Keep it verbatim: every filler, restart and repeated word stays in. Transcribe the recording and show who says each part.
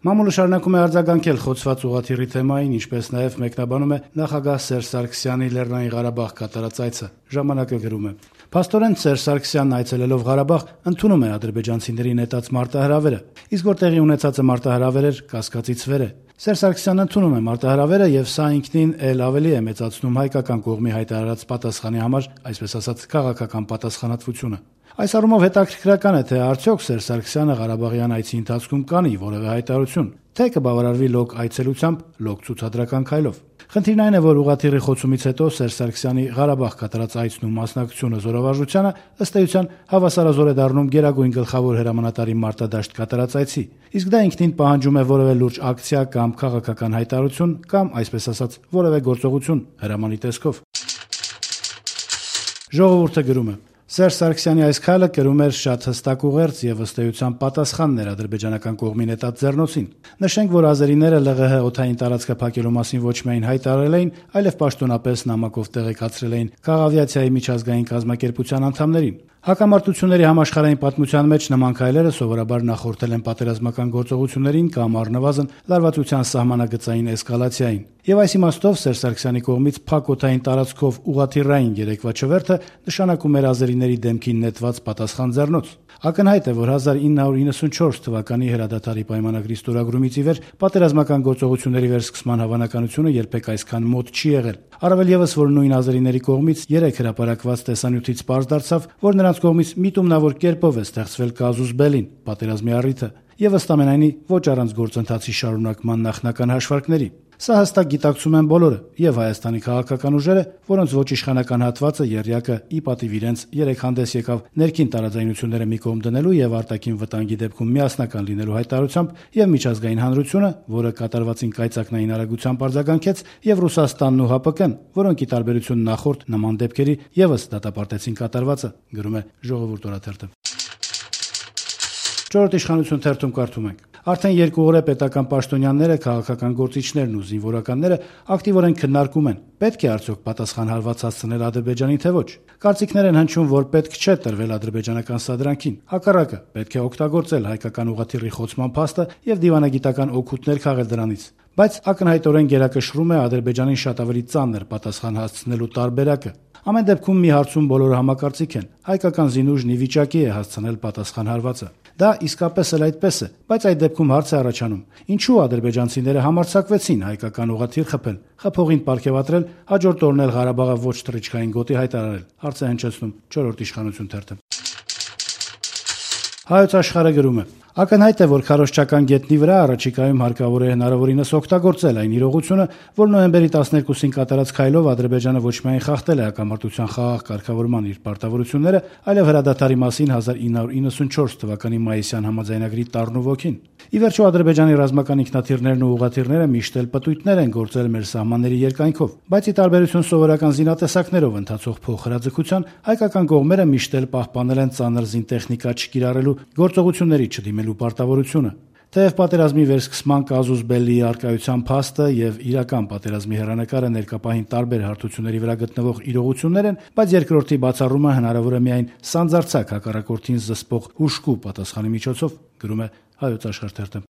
Speaker 1: Մամուլը շարունակում է արձագանքել խոցված ուղղաթիռի թեմային, ինչպես նաև մեկնաբանում է նախագահ Սերժ Սարգսյանի Լեռնային Ղարաբաղ կատարած այցը։ Ժամանակը գրում է. Փաստորեն Սերժ Սարգսյանն այցելելով Ղարաբաղ ընդունում է ադրբեջանցիների նետած մարտահրավերը, իսկ որ տեղի ունեցածը մարտահրավեր էր, կասկածից վեր է։ Սերժ Սարգսյանն ընդունում է մարտահրավերը եւ սա ինքնին էլ ավելի է մեծացնում հայկական կողմի հայտարարած պատասխանի համար, այսպես ասած, քաղաքական պատասխանատվությունը։ Այս առումով հետաքրքրական է, թե արդյոք Սերժ Սարգսյանը Ղարաբաղյան այցի ընթացքում կանի որևէ հայտարարություն, թե կբավարարվի լոկ այցելությամբ, լոկ ցուցադրական քայլով։ Խնդիրն այն է, որ ուղղաթիռի խոցումից հետո Սերժ Սարգսյանի Ղարաբաղ կատարած այցն ու մասնակցությունը զորավարժությանը ըստ էության հավասարազոր է դառնում Գերագույն գլխավոր հրամանատարի մարտադաշտ կատարած այցի, իսկ դա ինքնին պահանջում է որևէ լուրջ ակցիա կամ քաղաքական հայտարարություն կամ, այսպես ասած, որևէ գործողություն հրամանի տեսքով։ Ժողովուրդը գրում է. Սերժ Սարգսյանի այս քայլը կրում էր շատ հստակ ուղերձ եւ ըստ էության պատասխանն էր ադրբեջանական կողմի նետած ձեռնոցին։ Նշենք, որ ազերիները ԼՂՀ օդային տարածքը փակելու մասին ոչ միայն հայտարարել էին, այլև պաշտոնապես նամակով տեղեկացրել էին քաղավիացիայի միջազգային կազմակերպության անդամներին։ Հակամարտությունների համաշխարհային պատմության մեջ նման քայլերը սովորաբար նախորդել են պատերազմական գործողություններին կամ առնվազն լարվածության սահմանագծային էսկալացիային։ Եվ այս իմաստով Սերժ Սարգսյանի կողմից փակ օդային տարածքով ուղղաթիռային երեկվա չվերթը նշանակում էր ազերիների դեմքին նետված պատասխան ձեռնոց։ Ակնհայտ է, որ հազար ինը հարյուր իննսունչորս թվականի հրադադարի պայմանագրի ստորագրումից ի վեր պատերազմական գործողությունների վերսկսման հավանականությունը երբեք այսքան մոտ չի եղել։ Առավել եւս, որ նույն ազերիների կողմից երեք հրապարակված տեսանյութից պարզ դարձավ, որ նրանց կողմից միտումնավոր կերպով է ստեղծվել կազուս բելին, պատերազմի առիթը, եւ ըստ ամենայնի ոչ առանց գործընթացի շարունակման նախնական հաշվարկների։ Սա հստակ գիտակցում են բոլորը, եւ Հայաստանի քաղաքական ուժերը, որոնց ոչ իշխանական հատվածը եռյակը ի պատիվ իրենց երեք հանդես եկավ ներքին տարաձայնությունները մի կողմ դնելու եւ արտաքին վտանգի դեպքում միասնական լինելու հայտարարությամբ, եւ միջազգային հանրությունը, որը կատարվածին կայծակնային արագությամբ արձագանքեց, եւ Ռուսաստանն ու ՀԱՊԿ-ն, որոնք ի տարբերություն նախորդ նման դեպքերի եւս դատապարտեցին կատարվածը, գրում է Ժողովուրդ օրաթերթը։ Չորրորդ իշխանություն թերթում կարդում ենք. Արդեն երկու օր է պետական պաշտոնյաները, քաղաքական գործիչներն ու զինվորականները ակտիվորեն քննարկում են, պետք է արդյոք պատասխան հարված հասցնել Ադրբեջանին, թե ոչ։ Կարծիքներ են հնչում, որ պետք չէ տրվել ադրբեջանական սադրանքին։ Հակառակը, պետք է օգտագործել հայկական ուղղաթիռի խոցման փաստը եւ դիվանագիտական օգուտներ քաղել դրանից։ Բայց ակնհայտորեն գերակշռում է Ադրբեջանին շատ ավելի ծանր պատասխան հասցնելու տարբերակը։ Ամեն դեպքում մի հարցում բոլորը համակարծիք են. հայկական զինուժն ի վիճակի է հասցնել պատասխան հարվածը։ Դա իսկապես էլ այդպես է, բայց այդ դեպքում հարց է առաջանում. ինչու ադրբեջանցիները համարձակվեցին հայկական ուղղաթիռ խփել, խփողին պարգևատրել, հաջորդ օրն էլ Ղարաբաղը ոչ թռիչքային գոտի հայտարարել։ Հարց է հնչեցնում չորրորդ իշխանություն թերթը։ Հայոց աշխարհը գրում է. Ակնհայտ է, որ քարոզչական գետնի վրա առաջիկայում հարկավոր է հնարավորինս օգտագործել այն իրողությունը, որ նոյեմբերի տասներկուսին կատարած քայլով Ադրբեջանը ոչ միայն խախտել է հակամարտության խաղաղ կարգավորման իր պարտավորությունները, այլև հրադադարի մասին հազար ինը հարյուր իննսունչորս թվականի մայիսյան համաձայնագրի տառն ու ոգին։ Ի վերջո Ադրբեջանի ռազմական ինքնաթիռներն ու ուղղաթիռները միշտ էլ պտույտներ են գործել մեր սահմանների երկայնքով, բայց ի տարբերություն սովորական զինատեսակներով ընթացող փոխհրաձգության, հայկական կողմերը միշտ էլ պահպանել են ծանր զինտեխնիկա չկիրառելու գործողությունների չդիմելու պարտավորությունը։ Թեև պատերազմի վերսկսման կազուս բելլի առկայության փաստը եւ իրական պատերազմի հեռանկարը ներկապահին տարբեր հարթությունների վրա գտնվող իրողություններ են, բայց երկրորդի բացառումը հնարավոր է միայն սանձարձակ հակառակորդին զսպող հուժկու պատասխանի միջոցով, գրում է Հայոց աշխարհ թերթը։